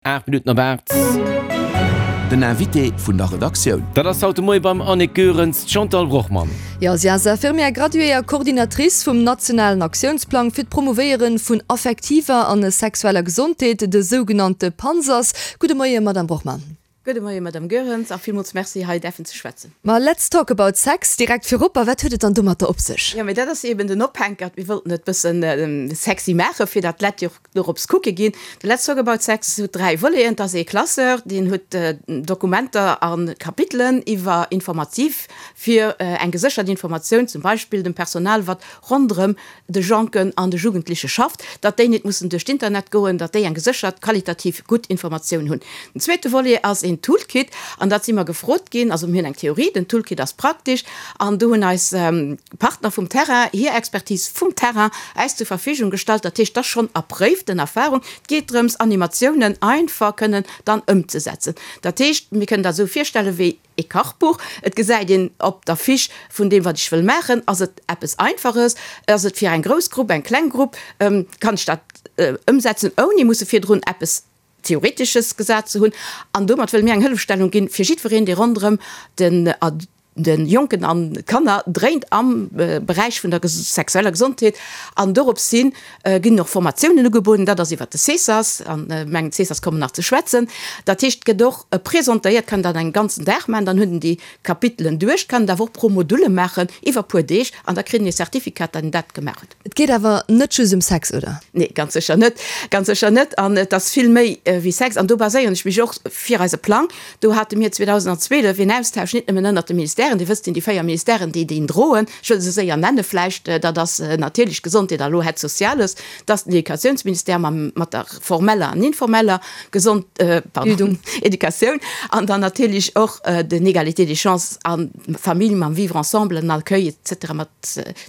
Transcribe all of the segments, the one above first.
8 Minutten op 8. Den Invité vun der Redaktioun. Dat ass haut de Moie beim Annick Goerens d'Chantal Brochmann. Jo, si ass Infirmière graduée a Coordinatrice vum nationalen Aktiounsplang fir d'Promouvéiere vun affektiver an sexueller Gesondheet, de sougenannte PANSAS. Gudde Moie, Madamm Brochmann. Gudde Moie, Madamm Goerens, a villmools Merci, hei däerfen ze schwätzen. Ma let's talk about sex direkt virop. A wat huet et dann domatter op sech? Jo, mee dat ass eben den Ophänkert. Mir wollten et bëssen sexy maachen, fir datt d'Leit jo och dorops kucke ginn. De Let's talk about sex huet 3 Voleten. Et ass ee Classeur, deen huet Dokumenter a Kapitelen iwwer informativ fir eng geséchert Informatioun, zum Beispill dem Personal, wat ronderëm de Jonken an de Jugendliche schafft, datt déi net mussen duerch d'Internet goen, datt déi eng geséchert, qualitativ gutt Informatioun hunn. Den zweete Volet ass een Toolkit, an dat si mer gefrot ginn, also mir hunn eng Theorie, den Toolkit ass praktesch, an do hunn eis Partner vum Terrain hir Expertise vum Terrain äis zur Verfügung gestallt. Dat heescht, et ass schonn erpréiften Erfahrung. Et geet drëms, Animatiounen einfach kënnen dann ëmzesetzen. Dat heescht, mir kënnen dat esou virstellen, wéi ee Kachbuch. Et gesäit een op der Fiche vun deem, wat ech wëll maachen, ass et eppes Einfaches, ass et fir eng grouss Grupp, eng kleng Grupp, kann ech dat ëmsetzen, ouni musse virdrun eppes Theoretesches gesat ze hunn. An domat wëlle mir eng Hëllefstellung ginn fir jiddwereen, dee ronderëm den de Jonken an Kanner dréint am Beräich vun der sexueller Gesondheet. An dorops hi ginn och Formatiounen ugebueden, dat ass iwwert de CSAS, an mengen CSAS kommen nach ze schwätzen. Dat heescht, et gëtt och presentéiert, kann dat en ganzen Dag maachen, dann huet en déi Kapitelen duerch, kann et awer och pro Module maachen iwwer puer Deeg an da kritt en e Certificat, datt en dat gemaach huet. Et geet awer net just ëm Sex, oder? Nee, ganz sécher net, ganz sécher net. An et ass vill méi wéi Sex. An do baséieren ech mech och fir eise Plang. Do hate mir 2012 een Austausch net nëmmen ënnert de Ministèren, Dir wësst, sinn déi 4 Ministèren, déi deen droen. Ech wëll se séier nenne vläicht, dat ass natierlech Gesondheet a lo Aide Sociales, dat ass den Educatiounsministère mam, mat der formeller an informeller Gesond, pardon, Educatioun an dann natierlech och den Égalité des chances an Famille mam Vivre ensemble, den Accueil et cetera mat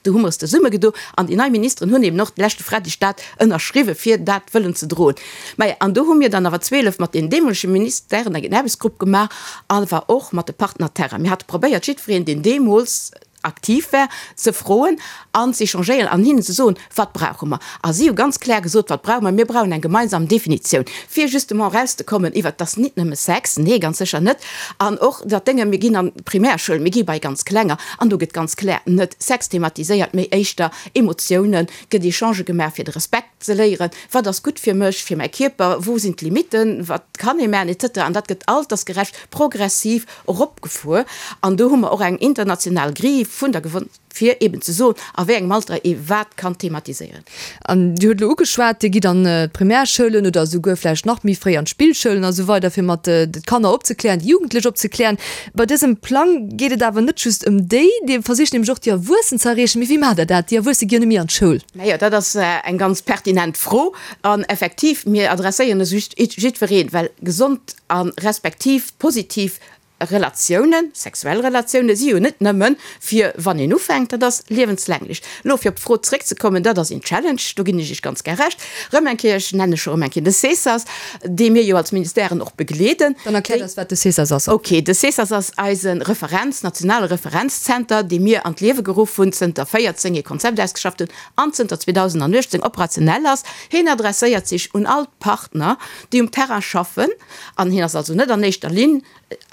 Do hu mer es zesummegedo an déi nei Ministeren hunn eben och de leschte Freideg dat ënnerschriwwen, fir dat wëllen ze droen. Maja, an do hu mir dann awer 12 mat deenen deemolege Ministèren eng Aarbechtsgrupp gemaach, awer och mat de Partner terrain. Mir hate probéiert, jiddwereen, deen deemools aktiv war, ze froen an z'échangéieren an hinnen ze soen, Wat brauche mer? A si hu ganz kloer gesot, Wat brauche mer? Mir brauchen eng gemeinsam Definitioun, fir justement erauszekommen iwwert, dass nit nëmme Sex, nee, ganz sécher net, an och dat Dénge, mir ginn an d'Primärschoul, mir gi bei ganz Klenger, an do gëtt ganz kloer net Sex thematiséiert, mee éischter Emotiounen, gëtt Echangë gemaach, fir de Respekt ze léieren, wat ass gutt fir mech, fir mäi Kierper, wou sinn d'Limitten, wat kann ee maachen, et cetera. An dat gëtt altersgerecht progressiv eropgefuer. An do hu mer och eng international Grille vun der. Fir eben ze soen, a wéi engem Alter ee wat kann thematiséieren. An Dir hutt elo ugeschwat, Dir gitt an d'Primärschoulen oder esouguer vläicht nach méi fréi an d'Spillschoulen a sou weider, fir mat de Kanner opzeklären, déi Jugendlech opzeklären. Bei dësem Plang geet et awer net just ëm déi. Dir versicht nämlech och déi Erwuessen ze erreechen. Mee wéi maacht Der dat? Déi Erwuesse gi jo net méi an d'Schoul. Majo, dat ass eng ganz pertinent Fro. An effektiv, mir adresséieren e just jiddwereen, well gesond a respektiv positiv Relatiounen, sexuell Relatiounen si jo net nëmmen fir wann een ufänkt, dat ass liewenslänglech. Elo fir op d'Fro zréckzekommen, dat ass een Challenge, do ginn ech Iech ganz gär Recht. Rëm eng Kéier, ech nenne scho rëm eng Kéier de CESAS, dee mir jo als Ministèren och begleeden. Dann erkläert eis, wat de CESAS ass. Ok, de CESAS ass eise Referenz, nationale Referenzzenter, dee mir an d'Liewe geruff hunn, zënter 14 ee Konzept ausgeschafft hunn an zënter 2018 operationell ass. Hien adresséiert sech un all d'Partner, déi um Terrain schaffen, an hien ass also net an éischter Linn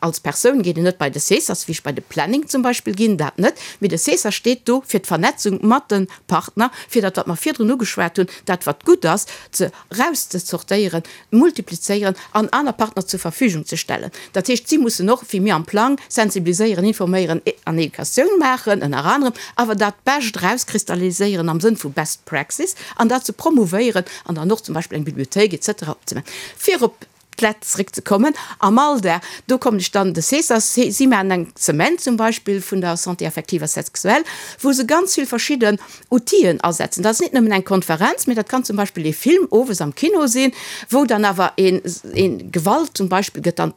Als Persoun geet een net bei de CSAS, wéi ech bei de Planning zum Beispill ginn, dat net, mee de CSAS steet do fir d'Vernetzung mat de Partner, fir dat, wat mer virdrun ugeschwat hunn, dat wat gutt ass, ze erauszezortéieren, multiplizéieren an aner Partner zur Verfügung ze stellen. Dat heescht, si mussen och, wéi mir am Plang, sensibiliséieren, informéieren an Educatioun maachen, ënner anerem, awer dat Bescht erauskristalliséieren am Sënn vu Best Praxis an dat ze promouvéieren an dann och zum Beispill eng Bibliothéik et cetera opzemaachen, fir op d'Lett zréckzekommen. Am Alldag, do kommen ech dann de CSAS, si maachen eng Semaine zum Beispill vun der Santé affective a sexuelle, wou se ganz vill verschidden Outiller asetzen. Dat ass net nëmmen eng Konferenz, mee dat kann zum Beispill ee Film owes am Kino sinn, wou dann awer een, een Gewalt zum Beispill gëtt dann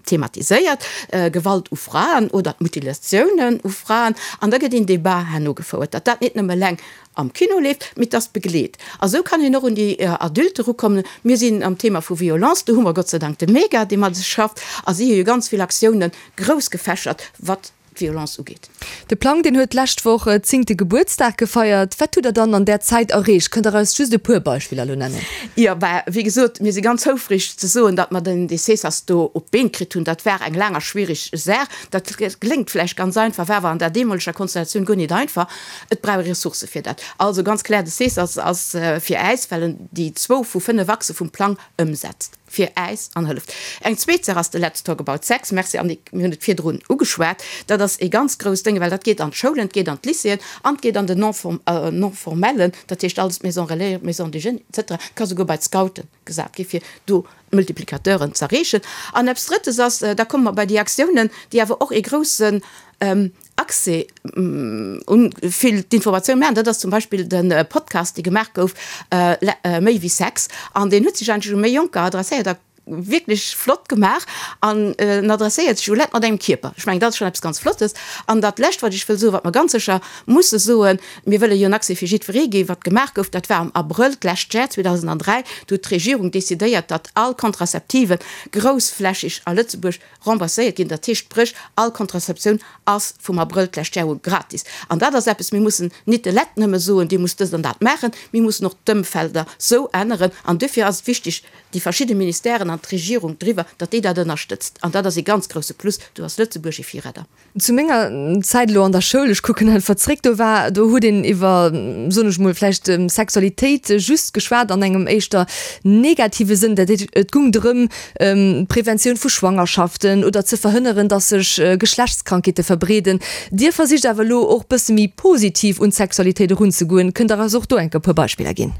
thematiséiert, Gewalt u Fraen oder d'Mutilatiounen u Fraen, an da gëtt een Débat herno gefouert, datt dat net nëmme eleng am Kino leeft, mee dass begleet. A sou kann een och un déi Adulte erukommen. Mir sinn am Thema vu Violence, do hu mer Gott sei Dank de Mega, dee mat eis schafft, a si hu jo ganz vill Aktiounen grouss gefächert, wat. d'Violence ugeet. De Plang, deen huet d'lescht Woch zéngte Gebuertsdag gefeiert. Wat hutt Der dann an där Zäit erreecht? Kënnt Der eis just e puer Beispiller elo nennen? Jo, bah, wéi gesot, mir si ganz houfreg ze soen, datt mer den DCSAS do op d'Been kritt hunn. Dat war eng laang a schwierig Saach. Dat kléngt vläicht ganz einfach, war awer an der deemoleger Konstellatioun guer nit einfach. Et brauch ee Ressourcë fir dat. Also ganz kloer, de CSAS ass fir äis, well en déi zwou vu 5 Achse vum Plang ëmsetzt, fir äis an hëlleft. Eng zweet Saach ass de Let's Talk About Sex. Merci Annick, mir hunn et virdrun ugeschwat. Dat ass ee ganz grousst Dénge, well dat geet an d'Schoulen, et geet an d'Lycéeën an et geet an den Non-formellen, dat heescht alles d'Maisons relais, d'Maisons des jeunes et cetera. Et ka souguer bei d'Scoute gesat gi fir do d'Multiplicateuren z'erreechen. An eppes Drëttes ass, da komme mer bei déi Aktiounen, déi awer och ee groussen Accès un vill d'Informatioun maachen. Dat ass zum Beispill de Podcast, dee gemaach gouf, Méi wéi Sex. An deen huet sech eigentlech u méi Jonker adresséiert a wierklech flott gemaach. An en adresséiert sech u Leit mat engem Kierper. Ech mengen, dat ass schonn eppes ganz Flottes. An dat Lescht, wat ech wëll soen, wat mer ganz sécher musse soen, Mir wëlle jo en Accès fir jiddweree ginn. Wat gemaach gouf, dat war am Abrëll d'lescht Jar, 2003, do huet d'Regierung decidéiert, datt all Contraceptiven groussflächig a Lëtzebuerg rembourséiert ginn, dat heescht spréch all Contraceptioun ass vum Abrëll d'lescht Jar u gratis. An dat ass eppes, mir mussen nit de Lett nëmme soen, dir musst dëst an dat maachen, mir mussen och d'Ëmfelder sou änneren. An duerfir ass et wichtig, déi verschidde Ministèren an d'Regierung driwwer, datt déi dat ënnerstëtzt. An dat ass ee ganz grouse Plus, do ass Lëtzebuerg ee Virredder. Zu menger Zäit elo an der Schoul, ech kucken einfach zréck, do war, do huet een iwwer, soen ech mol, vläicht Sexualitéit just geschwat an engem éischter negative Sënn. Dat heescht, et gung drëm, d'Preventioun vu Schwangerschaften oder ze verhënneren, dass sech Geschlechtskrankheete verbreeden. Dir versicht awer elo och bësse méi positiv un d'Sexualitéit erunzegoen. Kënnt Der eis och do enk e puer Beispiller ginn?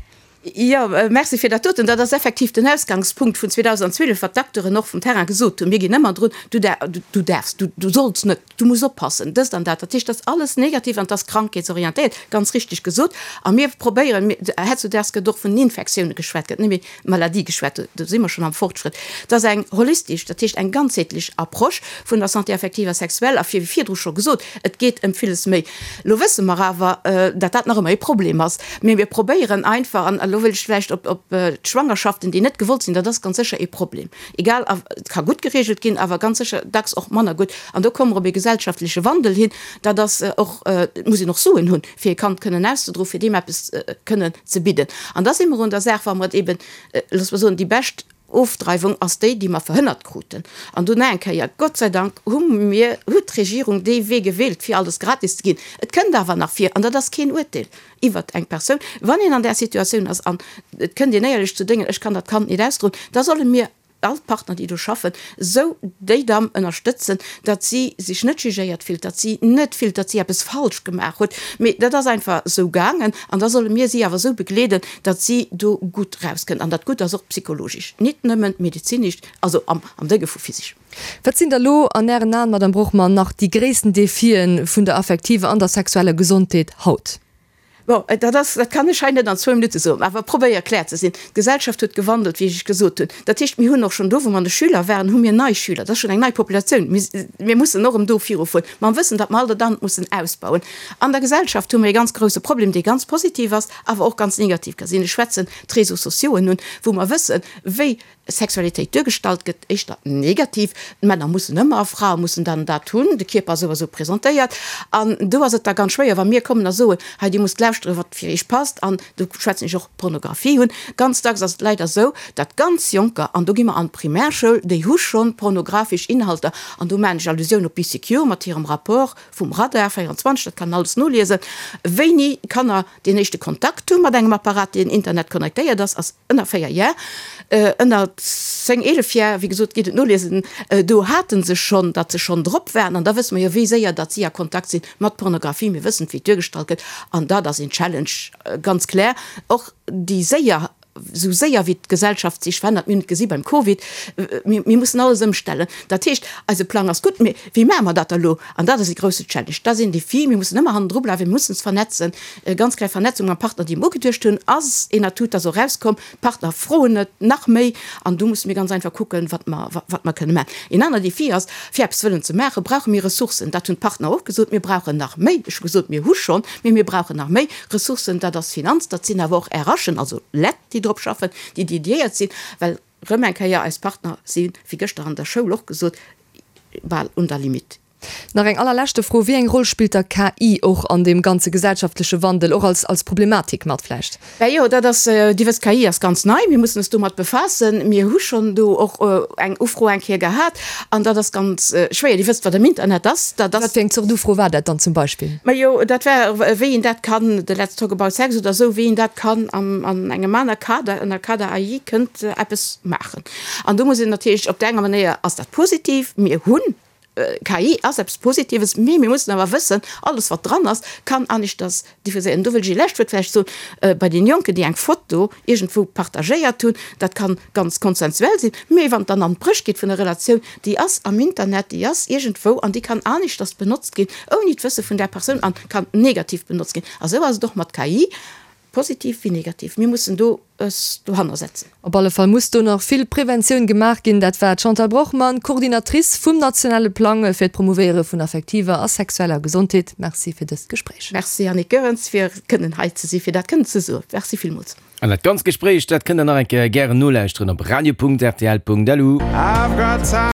Jo, merci fir dat doten. Dat ass effektiv den Ausgangspunkt vun 2012, wat d'Acteuren och vum Terrain gesot hunn. Mir ginn ëmmer drun, du du däerfs, du du solls net, du muss oppassen, dëst an dat. Dat heescht, dat ass alles negativ an et ass krankheetsorientéiert, ganz richtig gesot. A mir probéieren, mir, heutzudags gëtt och vun Infektioune geschwat, gëtt net méi Maladie geschwat, do si mer schonn am Fortschrëtt. Et ass eng holistisch, dat heescht eng ganzheetlech Approche vun der Santé affective a sexuelle a fir, wéi virdru scho gesot, et geet ëm villes méi. Elo wësse mer awer, datt dat nach ëmmer ee Problem ass. Mee mir probéieren einfach, an elo wëll ech vläicht op d'Schwangerschaften, déi net gewollt sinn, dat ass ganz sécher ee Problem, egal, et ka gutt geregelt ginn, awer ganz sécher dacks och manner gutt. An do komme mer op ee gesellschaftleche Wandel hin. Dat ass och, et muss een och Suen hunn, fir e Kand kënnen auszedroen, fir deem eppes kënnen ze bidden. An da si mer un der Saach, wa mer et eben, loosse mer soen, déi bescht Ofdreiwung ass déi, déi mer verhënnert kruten. An dunn nach eng Kéier, Gott sei Dank hu mir, huet d'Regierung dee Wee gewielt, fir alles gratis ze ginn. Et kënnt awer nach vir, an dat ass keen Uerteel iwwert eng Persoun, wann een an där Situatioun ass an et kënnt een éierlech zu Déngen, ech kann dat Kand nit ausdroen, da solle mir all d'Partner, déi do schaffen, esou déi Damm ënnerstëtzen, datt si sech net jugéiert fillt, datt si net fillt, datt si eppes falsch gemaach huet, mee dat ass einfach esou gaangen an da solle mir si awer esou begleeden, datt si do gutt rauskënnt. An dat Gutt ass och psychologisch, nit nëmmen medezinesch, also am am Dénge vu physisch. Wat sinn da lo an Ären Aen, Madame Brochmann, nach déi gréissten Defien vun der affektiver an der sexueller Gesondheet haut? Bon, dat ass, dat kann ech hei net an zwou Minutte soen, awer probéier klär ze sinn. D'Gesellschaft huet gewandelt, wéi ech gesot hunn. Dat heescht, mir hunn och schonn do, wou mer an de Schüler waren, hu mir nei Schüler. Dat ass schonn eng nei Populatioun. Mir, mir mussen och erëm do virufueren, mam Wëssen, datt mer all dat anert mussen ausbauen. An der Gesellschaft hu mir e ganz grouse Problem, dee ganz positiv ass, awer och ganz negativ ka sinn. Ech schwätzen d'Réseaux sociauxen un, wou mer wëssen, wéi Sexualitéit duergestallt gëtt, éischter negativ, d'Männer mussen ëmmer, Frae mussen dann dat hunn, de Kierper ass esou a sou presentéiert. An do ass et da ganz schwéier, wa mir kommen a soen, hei Dir musst lauschteren, wat fir Iech passt, an do schwätzen ech och Pornografie hunn. Ganz dacks ass et leider esou, datt ganz Jonker, an do gi mer an d'Primärschoul, déi hu schonn pornographesch Inhalter, an do maachen ech Allusioun op Bee Secure mat hirem Rapport vum Radar 24, dat kann een alles noliesen, wéini Kanner deen éischte Kontakt hu mat engem Apparat, deen Internet connectéiert ass, ass ënner 4 Jar, ënner 10, 11 Jar, wéi gesot, gitt et noliesen, do hate se schonn, datt se schonn drop waren. An da wësse mer jo, wéi séier datt si a Kontakt si mat Pornografie. Mir wëssen, wéi et duergestallt gëtt. An dat ass een Challenge, ganz kloer. Och déi séier, esou séier wéi d'Gesellschaft sech verännert, mir hunn et gesi beim Covid, mir, mir mussen alles ëmstellen. Dat heescht, eise Plang ass gutt, mee wéi maache mer dat da elo? An dat ass e grousse Challenge, dat ass een Défi. Mir mussen ëmmer hannendru bleiwen, mir mussen ons vernetzen. Ganz kleng Vernetzung mam Partner, déi mer ugeduecht hunn, ass een Atout, dat ass och erauskomm. D'Partner froen et nach méi an do musse mir ganz einfach kucken, wat mer, wat mer kënne maachen. Een aner Défi ass, fir eppes wëllen ze maachen, brauche mir Ressourcen. Dat hunn d'Partner och gesot, mir brauchen nach méi. Ech hu gesot, mir hu schonn, mee mir brauchen nach méi Ressourcen. Dat ass Finanz, dat sinn awer och RHen, also Lett, déi drop schaffen, déi dédiéiert sinn, well erëm eng Kéier eis Partner si wéi gëschter an der Schoul och gesot, bal un der Limite. Nach eng allerleschte Fro, Wéi eng Roll spillt da KI och an deem ganze gesellschaftleche Wandel, och als, als Problematik mat vläicht? Ben jo, dat ass, Dir wësst, KI ass ganz nei, mir mussen eis domat befaassen. Mir hu schonn do och eng Ufro eng Kéier gehat an dat ass ganz schwéier. Dir wësst, wat am Internet ass, dat ass. Wat fir eng Zort Ufro war dat dann zum Beispill? Majo, dat war, wéi een dat kann, de Let's Talk About Sex oder esou, wéi een dat kann am, an engem aner Kader, ënner Kader AI, kënnt eppes maachen. An do muss een natierlech, op der enger Manéier ass dat positiv, mir hunn KI ass eppes Positives, mee mir mussen awer wëssen, alles wat dran ass, kann aneschters diffuséieren. Do wëll ech ee lescht Wuert vläicht soen, bei deene Jonken, déi eng Foto iergendwou partagéiert hunn, dat kann ganz konsensuell sinn, mee wann et dann an d'Bréch geet vun der Relatioun, déi ass am Internet, déi ass iergendwou an déi kann aneschters benotzt ginn, ouni d'Wësse vun där Persoun an kann negativ benotzt ginn. A sou ass et och mat KI. Positiv wéi negativ, mir mussen do es dohanner setzen. Op alle Fall muss do nach vill Preventioun gemaach ginn. Dat war d'Chantal Brochmann, Coordinatrice vum nationale Plang fir d'Promouvéiere vun affektiver a sexueller Gesondheet. Merci fir dëst Gespréich. Merci Annick Goerens fir kënnen hei ze si fir dat kënnen ze soen. Merci villmools. An dat ganzt Gespréich, dat kënnt der nach eng Kéier gären nolauschteren op radio.rtl.lu.